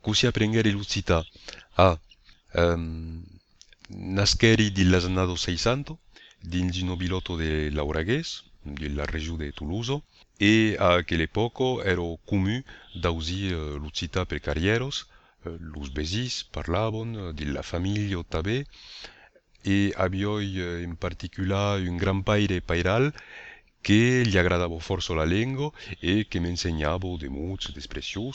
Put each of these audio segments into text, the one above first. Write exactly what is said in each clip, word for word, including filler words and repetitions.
così apprendere l'ucita. Ah, ehm, nascheri dell'anno seicento, dins un nobilotto de Lauraguès, della regione di Toulouse, e a quell'epoca ero comune da usare uh, l'ucita per carrieros, uh, los besis parlavano della famiglia tabè, e abbiamo uh, in particolare un gran paire pairal che gli agradava forse la lingua e che mi insegnava dei mots, delle espressioni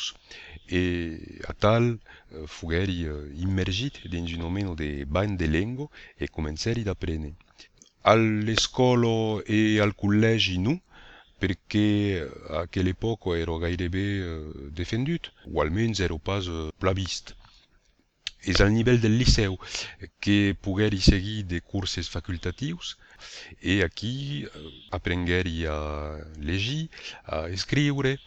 e a tal uh, fugeri uh, immergito in un momento di bagno di lingua e cominciare ad apprendere. Alle scuole e al collegio no, perché a quell'epoca ero gairebé uh, difenduto, o almeno ero pas uh, plebista. És al nivell del liceu que pogueri seguir de curses facultatius e aquí aprengueri a legir, a escriure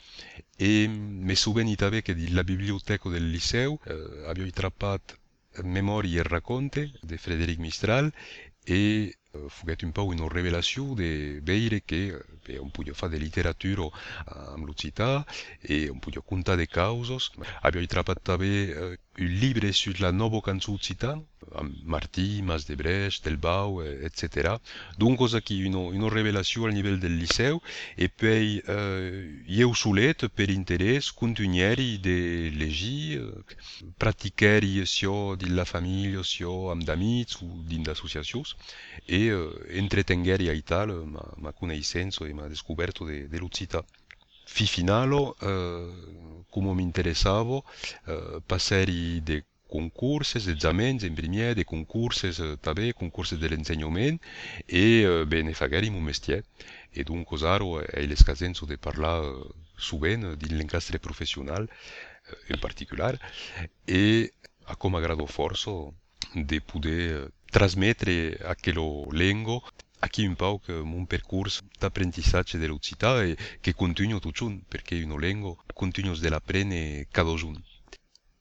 e me souveni també que de la biblioteca del liceu eh, avioi trappat Memorie e racconte de Frédéric Mistral e eh, fuguet un po' una revelazione de veire che eh, un podia fare de literatura amb l'occità e un podia contar de causos. Avioi trappat també eh, un livre sulla nova canzone occitana, amb Martí, Mas de Brest, Del Bau, eh, et cetera. Dunque, aquí una, una revelazione al livello del liceu e poi eh, io solet per interesse continueri de legir, eh, praticheri sia della famiglia sia amb d'amici o dins d'associacions e eh, entretengueri a tal ma, ma conoscenza e ma descoberto de, de l'occità. Fi finalo, eh, come mi interessavo, eh, passeri de concurses, esamens, in primier, de concurses, eh, també, concurses dell'insegnament, e eh, bene, fagari mon mestier. E dunque aro è l'escasenza de parlar eh, sovint di l'incastre professional, eh, in particolare, e a come grado forzo de poder trasmettere aquello lengo aquí un po' che un percorso d'apprentissage dell'occità e che continuo tutto perché è una lingua continuo dell'apprendere cada giorno.